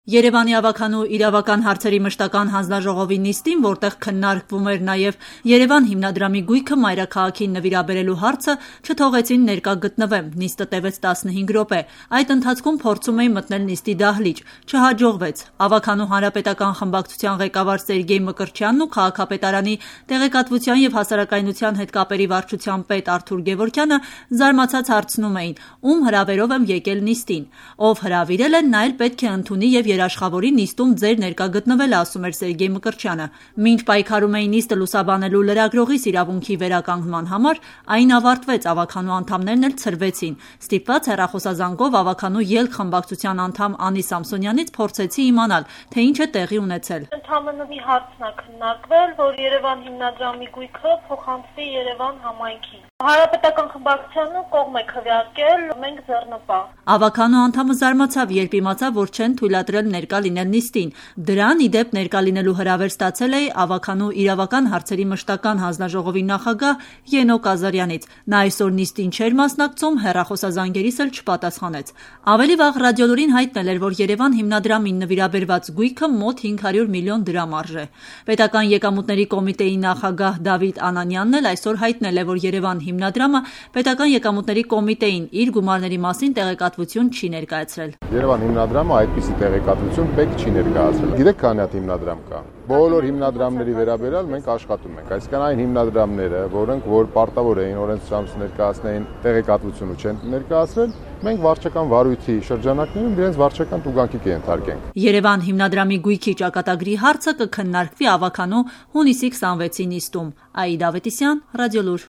Երևանի ավագանու իրավական հարցերի մշտական հանձնաժողովի նիստին, որտեղ քննարկվում էր նաև Երևան հիմնադրամի գույքը մայրաքաղաքին նվիրաբերելու հարցը, չթողեցին ներկա գտնվեմ։ Նիստը տևեց 15 րոպե։ Այդ ընթացքում փորձում էին մտնել նիստի դահլիճ։ Չհաջողվեց։ Ավագանու հանրապետական խմբակցության ղեկավար Սերգեյ Մկրտչյանն ու քաղաքապետարանի տեղեկատվության եւ հասարակայնության հետ կապերի վարչության պետ Արթուր Գևորգյանը զարմացած հարցնում էին, ում հրավերով եմ եկել նիստին։ Ով հրավիրել է, նա էլ պետք է ընդունի եւ երաշխավորի նիստում ձեր ներկա գտնվելը, ասում էր Սերգեյ Մկրտչյանը։ Մինչ պայքարում էին նիստը լուսաբանելու լրագրողիս իրավունքի վերականգնման համար, այն ավարտվեց, ավագանու անդամներն էլ ցրվեցին։ Ստիպված հեռախոսազանգով ավագանու ելք խմբակցության անդամ Անի Սամսոնյանից փորձեցի իմանալ, թե ինչ է տեղի ունեցել։ Ընդհանրապես մի հարցն է քննարկվել, որ Երևան հիմնադրամի գույքը փոխանցվի Երևան համայնքին։ Հանրապետական խմբակցությունը կողմ է քվեարկել, մենք ձեռնպահ։ Ավագանու անդամը զարմացավ, երբ իմացավ, որ չեն թույլատրել ներկա լինել նիստին։ Դրան ի դեպ ներկա լինելու հրավեր ստացել է ավագանու իրավական հարցերի մշտական հանձնաժողովի նախագահ Ենոկ Ազարյանից։ Նա այսօր նիստին չէր մասնակցում, հեռախոսազանգերիս էլ չպատասխանեց։ Ավելի վաղ Ռադիոլուրին հայտնել էր, որ Երևան հիմնադրամին նվիրաբերված գույքը մոտ 500 միլիոն դրամ արժե։ Պետական եկամուտների կոմիտեի նախագահ Դավիթ Անանյանն էլ այսօր հայտնել է, որ Երևան հիմնադրամը պետական եկամուտների կոմիտեին իր գումարների մասին տեղեկատվություն չի ներկայացրել։ Երևան հիմնադրամը այդպիսի տեղեկատվություն պետք չի ներկայացրել։ Գիտեք քանի հատ հիմնադրամ կա։ Բոլոր հիմնադրամների վերաբերյալ մենք աշխատում ենք։ Այսինքն այն հիմնադրամները, որոնք որ պարտավոր էին օրենսդրությամբ ներկայացնեին տեղեկատվությունը չեն ներկայացրել, մենք վարչական վարույթի շրջանակներում իրենց վարչական տուգանքի կենթարկենք։ Երևան հիմնադրամի գույքի ճակատագրի հարցը կքննարկվի ավագանու հունիսի 26-ի նիստում։ Աիդա Ավետիսյան, Ռադիոլուր։